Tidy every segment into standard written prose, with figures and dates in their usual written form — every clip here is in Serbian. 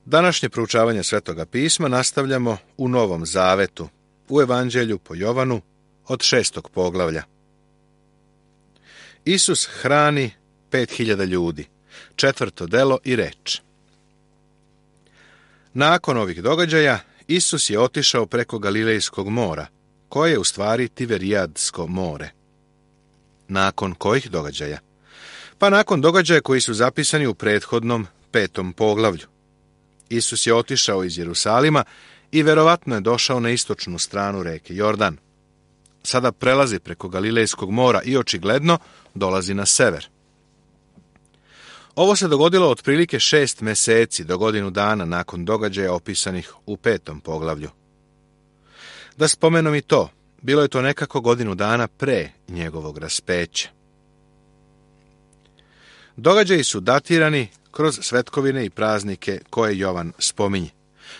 Današnje proučavanje Svetoga pisma nastavljamo u Novom Zavetu, u Evanđelju po Jovanu od 6. poglavlja. Isus hrani 5.000 ljudi, 4. delo i reč. Nakon ovih događaja, Isus je otišao preko Galilejskog mora, koje je u stvari Tiberijadsko more. Nakon kojih događaja? Pa nakon događaja koji su zapisani u prethodnom 5. poglavlju. Isus je otišao iz Jerusalima i verovatno je došao na istočnu stranu reke Jordan. Sada prelazi preko Galilejskog mora i očigledno dolazi na sever. Ovo se dogodilo otprilike 6 meseci do godinu dana nakon događaja opisanih u 5. poglavlju. Da spomenom i to, bilo je to nekako godinu dana pre njegovog raspeća. Događaji su datirani kroz svetkovine i praznike koje Jovan spominje.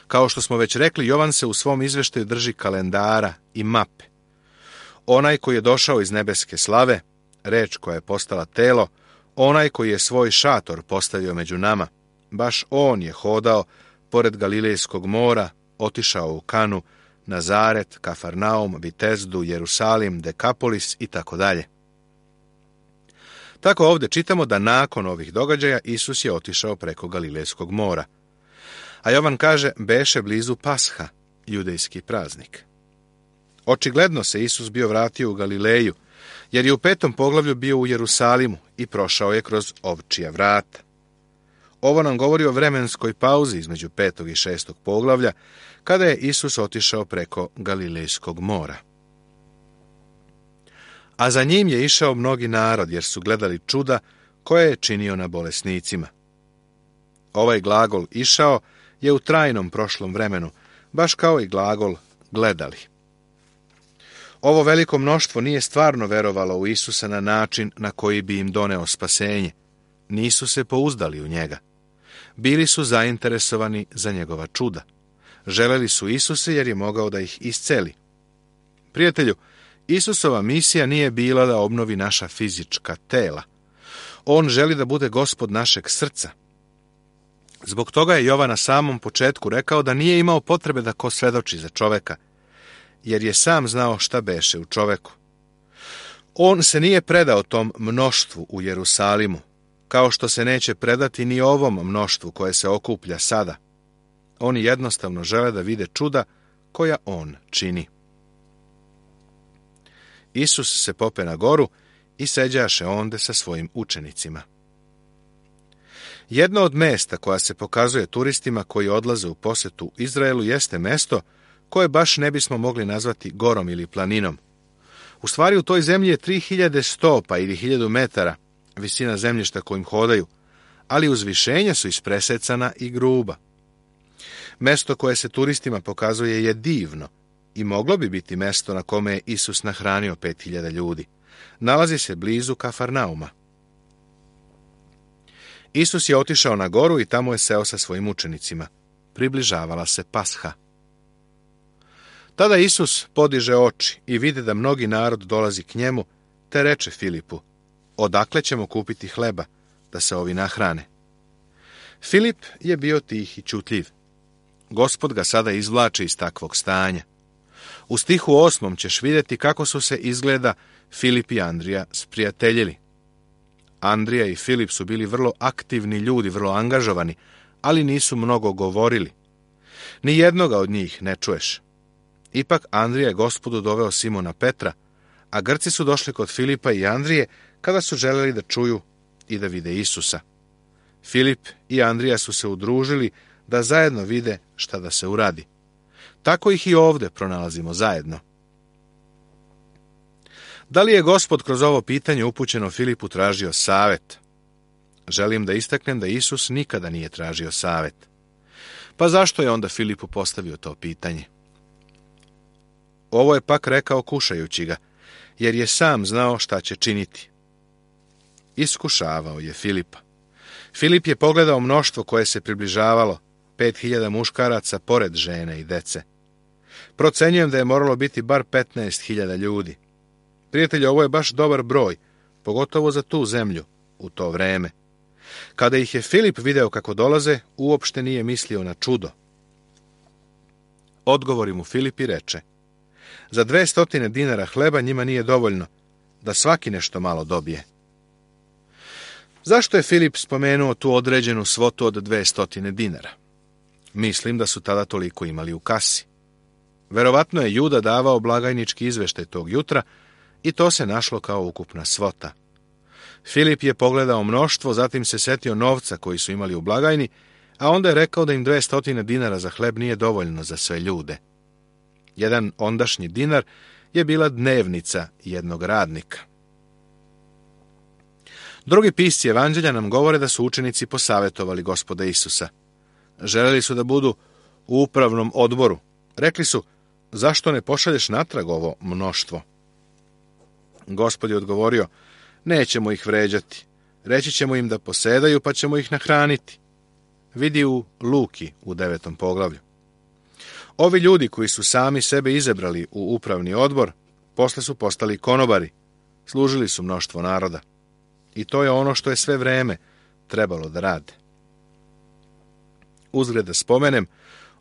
Kao što smo već rekli, Jovan se u svom izveštaju drži kalendara i mape. Onaj koji je došao iz nebeske slave, reč koja je postala telo, onaj koji je svoj šator postavio među nama, baš on je hodao pored Galilejskog mora, otišao u Kanu, Nazaret, Kafarnaum, Vitezdu, Jerusalim, Dekapolis i tako dalje. Tako ovdje čitamo da nakon ovih događaja Isus je otišao preko Galilejskog mora. A Jovan kaže, beše blizu Pasha, judejski praznik. Očigledno se Isus bio vratio u Galileju, jer je u 5. poglavlju bio u Jerusalimu i prošao je kroz ovčija vrata. Ovo nam govori o vremenskoj pauzi između 5. i 6. poglavlja, kada je Isus otišao preko Galilejskog mora. A za njim je išao mnogi narod, jer su gledali čuda koje je činio na bolesnicima. Ovaj glagol išao je u trajnom prošlom vremenu, baš kao i glagol gledali. Ovo veliko mnoštvo nije stvarno verovalo u Isusa na način na koji bi im doneo spasenje. Nisu se pouzdali u njega. Bili su zainteresovani za njegova čuda. Želeli su Isuse jer je mogao da ih isceli. Prijatelju, Isusova misija nije bila da obnovi naša fizička tela. On želi da bude gospod našeg srca. Zbog toga je Jovan na samom početku rekao da nije imao potrebe da ko svedoči za čoveka, jer je sam znao šta beše u čoveku. On se nije predao tom mnoštvu u Jerusalimu, kao što se neće predati ni ovom mnoštvu koje se okuplja sada. Oni jednostavno žele da vide čuda koja on čini. Isus se pope na goru i seđaše onde sa svojim učenicima. Jedno od mesta koja se pokazuje turistima koji odlaze u posetu Izraelu jeste mesto koje baš ne bismo mogli nazvati gorom ili planinom. U stvari u toj zemlji je 3000 stopa ili 1000 metara visina zemljišta kojim hodaju, ali uzvišenja su ispresecana i gruba. Mesto koje se turistima pokazuje je divno i moglo bi biti mesto na kome je Isus nahranio 5.000 ljudi. Nalazi se blizu Kafarnauma. Isus je otišao na goru i tamo je seo sa svojim učenicima. Približavala se Pasha. Tada Isus podiže oči i vidi da mnogi narod dolazi k njemu, te reče Filipu, odakle ćemo kupiti hleba, da se ovi nahrane? Filip je bio tih i čutljiv. Gospod ga sada izvlači iz takvog stanja. U stihu 8. ćeš vidjeti kako su se izgleda Filip i Andrija sprijateljili. Andrija i Filip su bili vrlo aktivni ljudi, vrlo angažovani, ali nisu mnogo govorili. Ni jednoga od njih ne čuješ. Ipak Andrija je Gospodu doveo Simona Petra, a Grci su došli kod Filipa i Andrije kada su želeli da čuju i da vide Isusa. Filip i Andrija su se udružili da zajedno vide šta da se uradi. Tako ih i ovdje pronalazimo zajedno. Da li je Gospod kroz ovo pitanje upućeno Filipu tražio savet? Želim da istaknem da Isus nikada nije tražio savet. Pa zašto je onda Filipu postavio to pitanje? Ovo je pak rekao kušajući ga, jer je sam znao šta će činiti. Iskušavao je Filipa. Filip je pogledao mnoštvo koje se približavalo, 5.000 muškaraca pored žene i dece. Procenjujem da je moralo biti bar 15.000 ljudi. Prijatelji, ovo je baš dobar broj, pogotovo za tu zemlju, u to vreme. Kada ih je Filip video kako dolaze, uopšte nije mislio na čudo. Odgovori mu Filip i reče: za 200 dinara hleba njima nije dovoljno, da svaki nešto malo dobije. Zašto je Filip spomenuo tu određenu svotu od 200 dinara? Mislim da su tada toliko imali u kasi. Verovatno je Juda davao blagajnički izveštaj tog jutra i to se našlo kao ukupna svota. Filip je pogledao mnoštvo, zatim se setio novca koji su imali u blagajni, a onda je rekao da im 200 dinara za hleb nije dovoljno za sve ljude. Jedan ondašnji dinar je bila dnevnica jednog radnika. Drugi pisci evanđelja nam govore da su učenici posavjetovali Gospoda Isusa. Želeli su da budu u upravnom odboru. Rekli su: zašto ne pošalješ natrag ovo mnoštvo? Gospod je odgovorio: nećemo ih vređati. Reći ćemo im da posedaju, pa ćemo ih nahraniti. Vidi u Luki u 9. poglavlju. Ovi ljudi koji su sami sebe izabrali u upravni odbor, posle su postali konobari, služili su mnoštvo naroda. I to je ono što je sve vreme trebalo da rade. Uzgred da spomenem,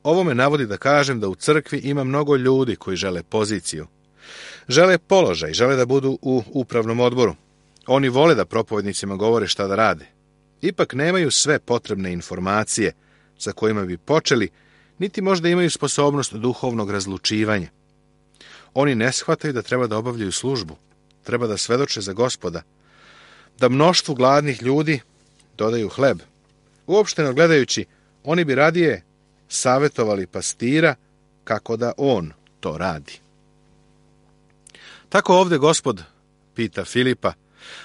ovo me navodi da kažem da u crkvi ima mnogo ljudi koji žele poziciju. Žele položaj, žele da budu u upravnom odboru. Oni vole da propovednicima govore šta da rade. Ipak nemaju sve potrebne informacije sa kojima bi počeli, niti možda imaju sposobnost duhovnog razlučivanja. Oni ne shvataju da treba da obavljaju službu, treba da svedoče za Gospoda, da mnoštvu gladnih ljudi dodaju hleb. Uopšteno gledajući, oni bi radije savjetovali pastira kako da on to radi. Tako ovdje Gospod pita Filipa,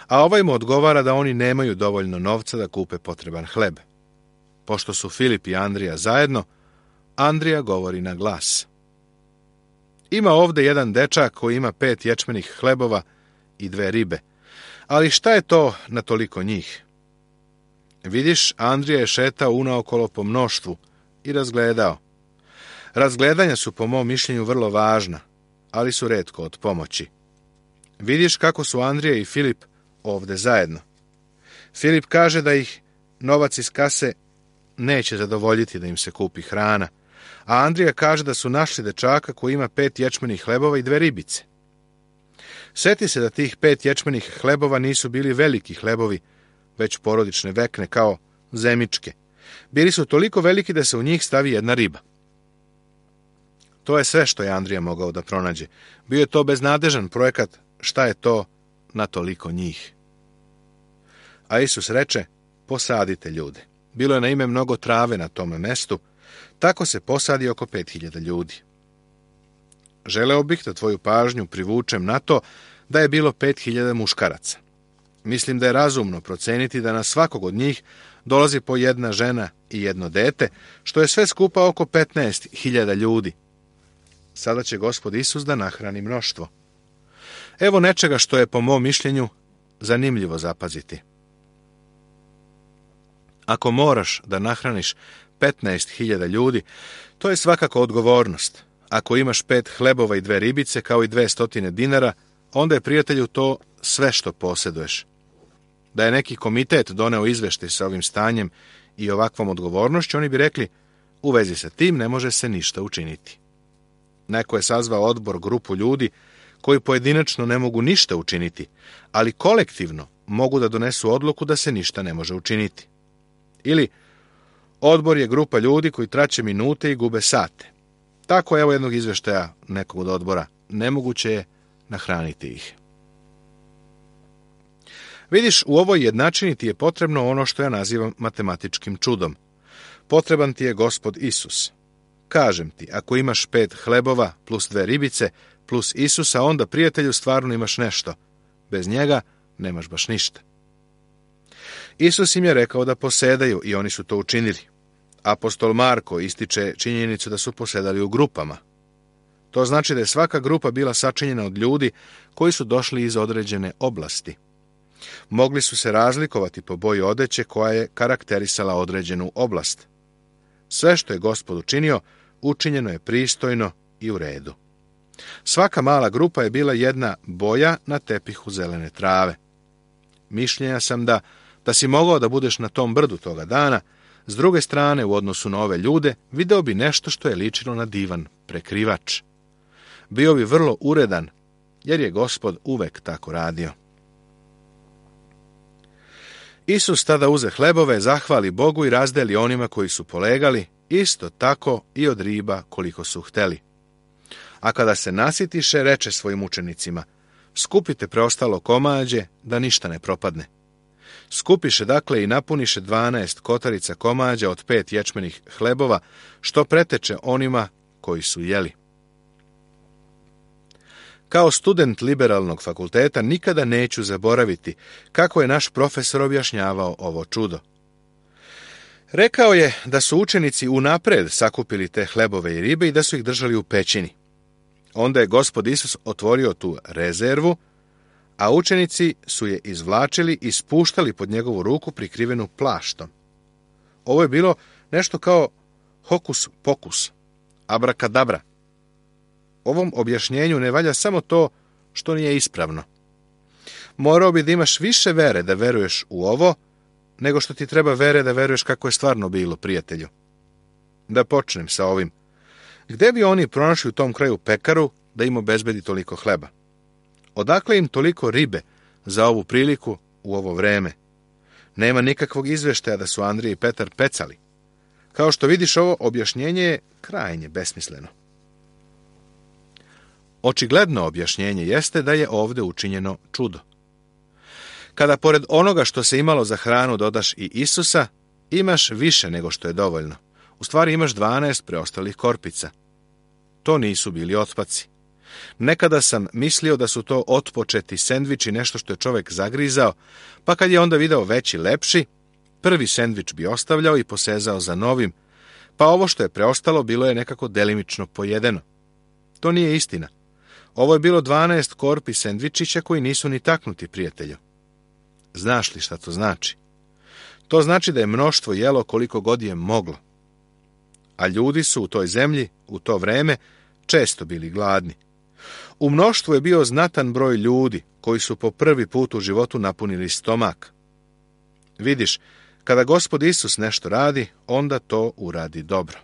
a ovaj mu odgovara da oni nemaju dovoljno novca da kupe potreban hleb. Pošto su Filip i Andrija zajedno, Andrija govori na glas. Ima ovdje jedan dečak koji ima 5 ječmenih hlebova i 2 ribe. Ali šta je to na toliko njih? Vidiš, Andrija je šetao unaokolo po mnoštvu i razgledao. Razgledanja su po mom mišljenju vrlo važna, ali su retko od pomoći. Vidiš kako su Andrija i Filip ovdje zajedno. Filip kaže da ih novac iz kase neće zadovoljiti da im se kupi hrana, a Andrija kaže da su našli dečaka koji ima 5 ječmenih hlebova i 2 ribice. Sjeti se da tih 5 ječmenih hlebova nisu bili veliki hlebovi, već porodične vekne kao zemičke. Bili su toliko veliki da se u njih stavi jedna riba. To je sve što je Andrija mogao da pronađe. Bio je to beznadežan projekat, šta je to na toliko njih. A Isus reče: posadite ljude. Bilo je naime mnogo trave na tome mestu, tako se posadi oko 5000 ljudi. Želeo bih da tvoju pažnju privučem na to da je bilo 5000 muškaraca. Mislim da je razumno proceniti da na svakog od njih dolazi po jedna žena i jedno dete, što je sve skupa oko 15.000 ljudi. Sada će Gospod Isus da nahrani mnoštvo. Evo nečega što je po mom mišljenju zanimljivo zapaziti. Ako moraš da nahraniš 15.000 ljudi, to je svakako odgovornost. Ako imaš 5 hlebova i 2 ribice kao i 200 dinara, onda je, prijatelju, to sve što posjeduješ. Da je neki komitet doneo izveštaj sa ovim stanjem i ovakvom odgovornošću, oni bi rekli: u vezi sa tim ne može se ništa učiniti. Neko je sazvao odbor, grupu ljudi koji pojedinačno ne mogu ništa učiniti, ali kolektivno mogu da donesu odluku da se ništa ne može učiniti. Ili odbor je grupa ljudi koji traće minute i gube sate. Tako, evo jednog izveštaja nekog od odbora. Nemoguće je nahraniti ih. Vidiš, u ovoj jednačini ti je potrebno ono što ja nazivam matematičkim čudom. Potreban ti je Gospod Isus. Kažem ti, ako imaš 5 hlebova plus 2 ribice plus Isusa, onda, prijatelju, stvarno imaš nešto. Bez njega nemaš baš ništa. Isus im je rekao da posedaju i oni su to učinili. Apostol Marko ističe činjenicu da su posedali u grupama. To znači da je svaka grupa bila sačinjena od ljudi koji su došli iz određene oblasti. Mogli su se razlikovati po boji odeće koja je karakterisala određenu oblast. Sve što je Gospod učinio, učinjeno je pristojno i u redu. Svaka mala grupa je bila jedna boja na tepihu zelene trave. Mišljenja sam da Da si mogao da budeš na tom brdu toga dana, s druge strane, u odnosu na ove ljude, video bi nešto što je ličilo na divan prekrivač. Bio bi vrlo uredan, jer je Gospod uvek tako radio. Isus tada uze hlebove, zahvali Bogu i razdeli onima koji su polegali, isto tako i od riba koliko su hteli. A kada se nasitiše, reče svojim učenicima: skupite preostalo komađe, da ništa ne propadne. Skupiše dakle i napuniše 12 kotarica komađa od 5 ječmenih hlebova, što preteče onima koji su jeli. Kao student liberalnog fakulteta nikada neću zaboraviti kako je naš profesor objašnjavao ovo čudo. Rekao je da su učenici unapred sakupili te hlebove i ribe i da su ih držali u pećini. Onda je Gospod Isus otvorio tu rezervu, a učenici su je izvlačili i spuštali pod njegovu ruku prikrivenu plaštom. Ovo je bilo nešto kao hokus pokus, abrakadabra. Ovom objašnjenju ne valja samo to što nije ispravno. Morao bi da imaš više vere da veruješ u ovo, nego što ti treba vere da veruješ kako je stvarno bilo, prijatelju. Da počnem sa ovim. Gde bi oni pronašli u tom kraju pekaru da im obezbedi toliko hleba? Odakle im toliko ribe za ovu priliku u ovo vreme? Nema nikakvog izveštaja da su Andrija i Petar pecali. Kao što vidiš, ovo objašnjenje je krajnje besmisleno. Očigledno objašnjenje jeste da je ovdje učinjeno čudo. Kada pored onoga što se imalo za hranu dodaš i Isusa, imaš više nego što je dovoljno. U stvari imaš 12 preostalih korpica. To nisu bili otpaci. Nekada sam mislio da su to otpočeti sendviči, nešto što je čovjek zagrizao, pa kad je onda video veći, lepši, prvi sendvič bi ostavljao i posezao za novim, pa ovo što je preostalo bilo je nekako delimično pojedeno. To nije istina. Ovo je bilo 12 korpi sendvičića koji nisu ni taknuti, prijatelju. Znaš li šta to znači? To znači da je mnoštvo jelo koliko god je moglo. A ljudi su u toj zemlji, u to vreme, često bili gladni. U mnoštvu je bio znatan broj ljudi koji su po prvi put u životu napunili stomak. Vidiš, kada Gospod Isus nešto radi, onda to uradi dobro.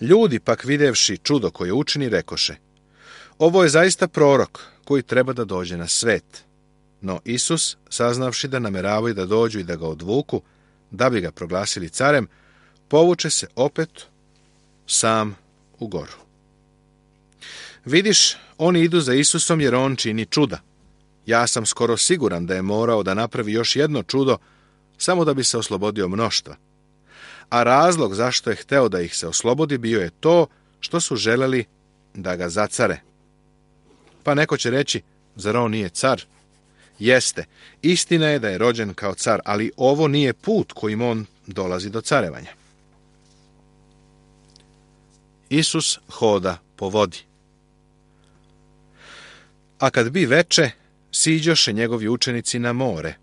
Ljudi pak videvši čudo koje učini, rekoše: ovo je zaista prorok koji treba da dođe na svet. No Isus, saznavši da nameravaju da dođu i da ga odvuku, da bi ga proglasili carem, povuče se opet sam u goru. Vidiš, oni idu za Isusom jer on čini čuda. Ja sam skoro siguran da je morao da napravi još jedno čudo samo da bi se oslobodio mnoštva. A razlog zašto je hteo da ih se oslobodi bio je to što su želeli da ga zacare. Pa neko će reći, zar on nije car? Jeste, istina je da je rođen kao car, ali ovo nije put kojim on dolazi do carevanja. Isus hoda po vodi. A kad bi veče, siđoše njegovi učenici na more,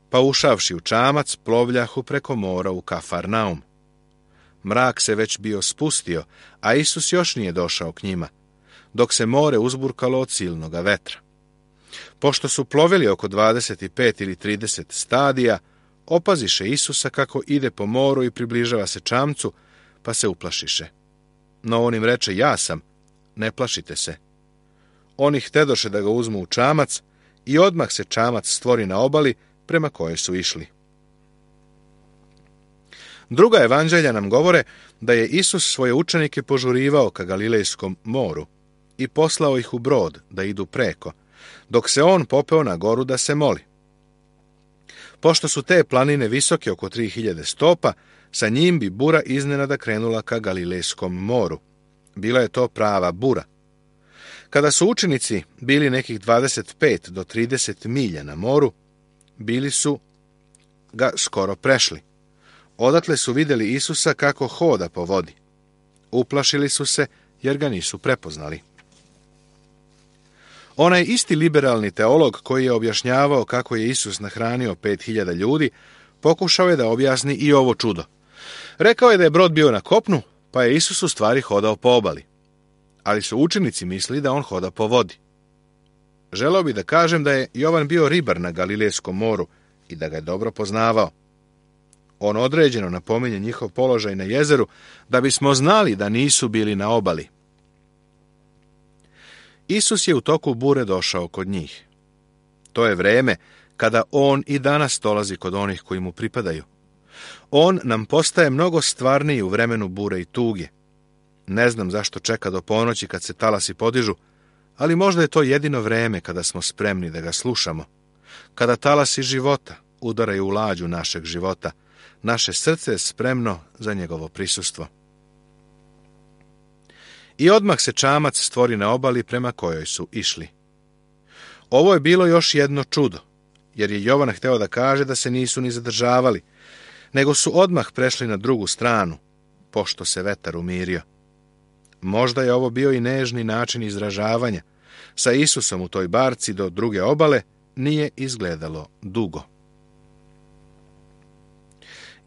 pa ušavši u čamac, plovljahu preko mora u Kafarnaum. Mrak se već bio spustio, a Isus još nije došao k njima, dok se more uzburkalo od silnoga vetra. Pošto su plovili oko 25 ili 30 stadija, opaziše Isusa kako ide po moru i približava se čamcu, pa se uplašiše. No on im reče: ja sam, ne plašite se. Oni htedoše da ga uzmu u čamac i odmah se čamac stvori na obali prema kojoj su išli. Druga evanđelja nam govore da je Isus svoje učenike požurivao ka Galilejskom moru i poslao ih u brod da idu preko, dok se on popeo na goru da se moli. Pošto su te planine visoke oko 3000 stopa, sa njim bi bura iznenada krenula ka Galilejskom moru. Bila je to prava bura. Kada su učenici bili nekih 25 do 30 milja na moru, bili su ga skoro prešli. Odatle su vidjeli Isusa kako hoda po vodi. Uplašili su se jer ga nisu prepoznali. Onaj isti liberalni teolog koji je objašnjavao kako je Isus nahranio 5000 ljudi, pokušao je da objasni i ovo čudo. Rekao je da je brod bio na kopnu, pa je Isus u stvari hodao po obali. Ali su učenici mislili da on hoda po vodi. Želeo bi da kažem da je Jovan bio ribar na Galilejskom moru i da ga je dobro poznavao. On određeno napominje njihov položaj na jezeru da bismo znali da nisu bili na obali. Isus je u toku bure došao kod njih. To je vreme kada on i danas dolazi kod onih koji mu pripadaju. On nam postaje mnogo stvarniji u vremenu bure i tuge. Ne znam zašto čeka do ponoći kad se talasi podižu, ali možda je to jedino vreme kada smo spremni da ga slušamo. Kada talasi života udaraju u lađu našeg života, naše srce je spremno za njegovo prisustvo. I odmah se čamac stvori na obali prema kojoj su išli. Ovo je bilo još jedno čudo, jer je Jovan hteo da kaže da se nisu ni zadržavali, nego su odmah prešli na drugu stranu, pošto se vetar umirio. Možda je ovo bio i nežni način izražavanja. Sa Isusom u toj barci do druge obale nije izgledalo dugo.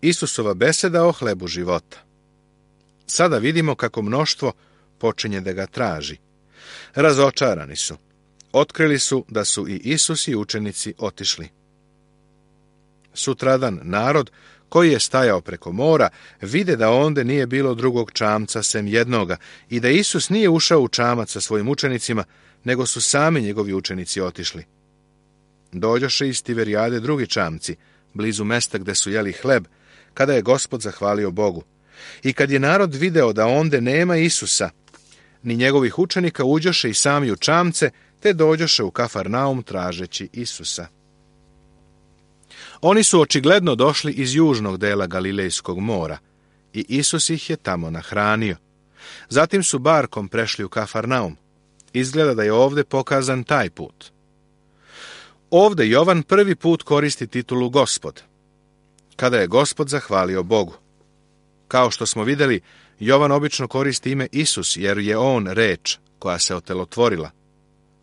Isusova beseda o hlebu života. Sada vidimo kako mnoštvo počinje da ga traži. Razočarani su. Otkrili su da su i Isus i učenici otišli. Sutradan narod koji je stajao preko mora vide da onde nije bilo drugog čamca sem jednoga i da Isus nije ušao u čamac sa svojim učenicima, nego su sami njegovi učenici otišli. Dođoše iz Tiberijade drugi čamci, blizu mesta gde su jeli hleb, kada je Gospod zahvalio Bogu. I kad je narod video da onde nema Isusa, ni njegovih učenika, uđoše i sami u čamce, te dođoše u Kafarnaum tražeći Isusa. Oni su očigledno došli iz južnog dela Galilejskog mora i Isus ih je tamo nahranio. Zatim su barkom prešli u Kafarnaum. Izgleda da je ovde pokazan taj put. Ovde Jovan prvi put koristi titulu Gospod, kada je Gospod zahvalio Bogu. Kao što smo vidjeli, Jovan obično koristi ime Isus, jer je on reč koja se otelotvorila.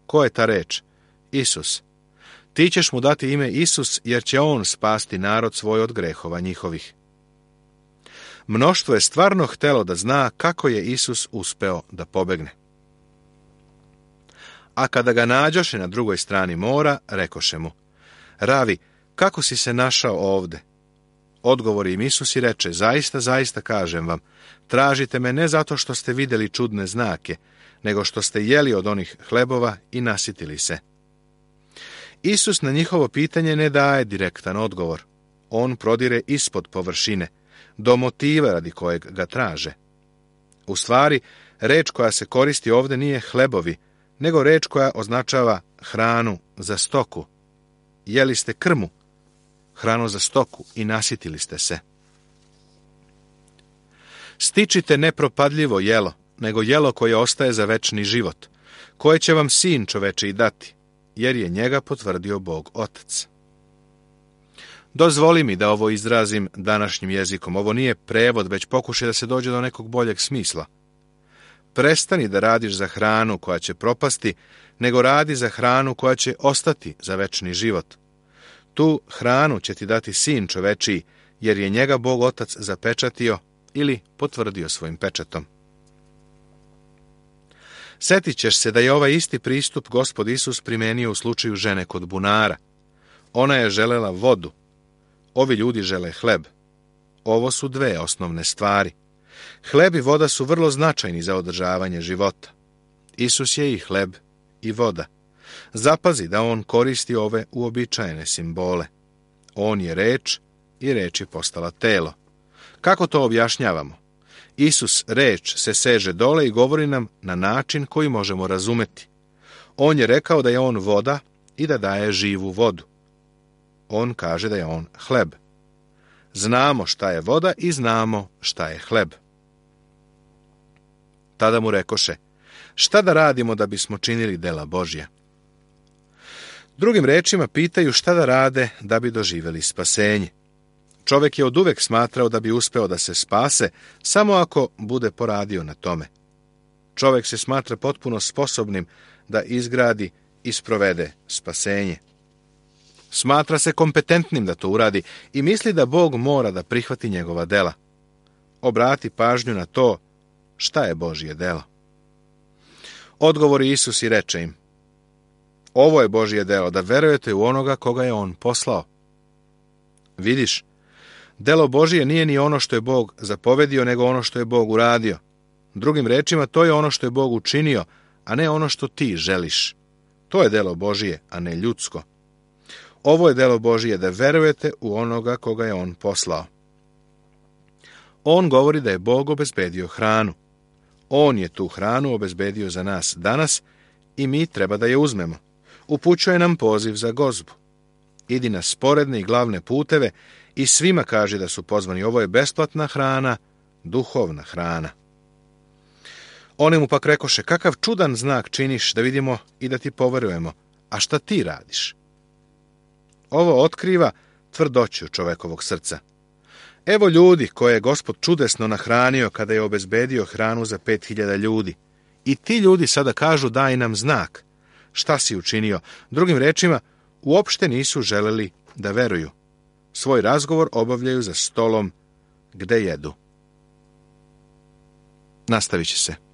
Ko je ta reč? Isus. Ti ćeš mu dati ime Isus, jer će on spasti narod svoj od grehova njihovih. Mnoštvo je stvarno htelo da zna kako je Isus uspeo da pobegne. A kada ga nađoše na drugoj strani mora, rekoše mu: Ravi, kako si se našao ovde? Odgovori im Isus i reče: Zaista, zaista kažem vam, tražite me ne zato što ste vidjeli čudne znake, nego što ste jeli od onih hlebova i nasitili se. Isus na njihovo pitanje ne daje direktan odgovor. On prodire ispod površine, do motiva radi kojeg ga traže. U stvari, reč koja se koristi ovde nije hlebovi, nego reč koja označava hranu za stoku. Jeli ste krmu, hranu za stoku, i nasitili ste se. Stičite nepropadljivo jelo, nego jelo koje ostaje za večni život, koje će vam Sin čovečiji dati, jer je njega potvrdio Bog Otac. Dozvoli mi da ovo izrazim današnjim jezikom. Ovo nije prevod, već pokušaj da se dođe do nekog boljeg smisla. Prestani da radiš za hranu koja će propasti, nego radi za hranu koja će ostati za večni život. Tu hranu će ti dati Sin čovečiji, jer je njega Bog Otac zapečatio ili potvrdio svojim pečatom. Sjetit ćeš se da je ovaj isti pristup Gospod Isus primenio u slučaju žene kod bunara. Ona je želela vodu. Ovi ljudi žele hleb. Ovo su dve osnovne stvari. Hleb i voda su vrlo značajni za održavanje života. Isus je i hleb i voda. Zapazi da on koristi ove uobičajene simbole. On je reč i reč je postala telo. Kako to objašnjavamo? Isus, reč, se seže dole i govori nam na način koji možemo razumeti. On je rekao da je on voda i da daje živu vodu. On kaže da je on hleb. Znamo šta je voda i znamo šta je hleb. Tada mu rekoše: Šta da radimo da bismo činili dela Božja? Drugim rečima pitaju šta da rade da bi doživjeli spasenje. Čovjek je oduvek smatrao da bi uspeo da se spase samo ako bude poradio na tome. Čovjek se smatra potpuno sposobnim da izgradi i sprovede spasenje. Smatra se kompetentnim da to uradi i misli da Bog mora da prihvati njegova dela. Obrati pažnju na to šta je Božje delo. Odgovori Isus i reče im: Ovo je Božje delo, da verujete u onoga koga je on poslao. Vidiš, delo Božije nije ni ono što je Bog zapovedio, nego ono što je Bog uradio. Drugim rečima, to je ono što je Bog učinio, a ne ono što ti želiš. To je delo Božije, a ne ljudsko. Ovo je delo Božije, da verujete u onoga koga je on poslao. On govori da je Bog obezbedio hranu. On je tu hranu obezbedio za nas danas i mi treba da je uzmemo. Upućuje nam poziv za gozbu. Idi na sporedne i glavne puteve i svima kaži da su pozvani. Ovo je besplatna hrana, duhovna hrana. Oni mu pak rekoše, kakav čudan znak činiš da vidimo i da ti poverujemo, a šta ti radiš? Ovo otkriva tvrdoću čovekovog srca. Evo ljudi koje je Gospod čudesno nahranio kada je obezbedio hranu za 5.000 ljudi. I ti ljudi sada kažu, daj nam znak. Šta si učinio? Drugim rečima, uopšte nisu želeli da veruju. Svoj razgovor obavljaju za stolom gde jedu. Nastavit će se.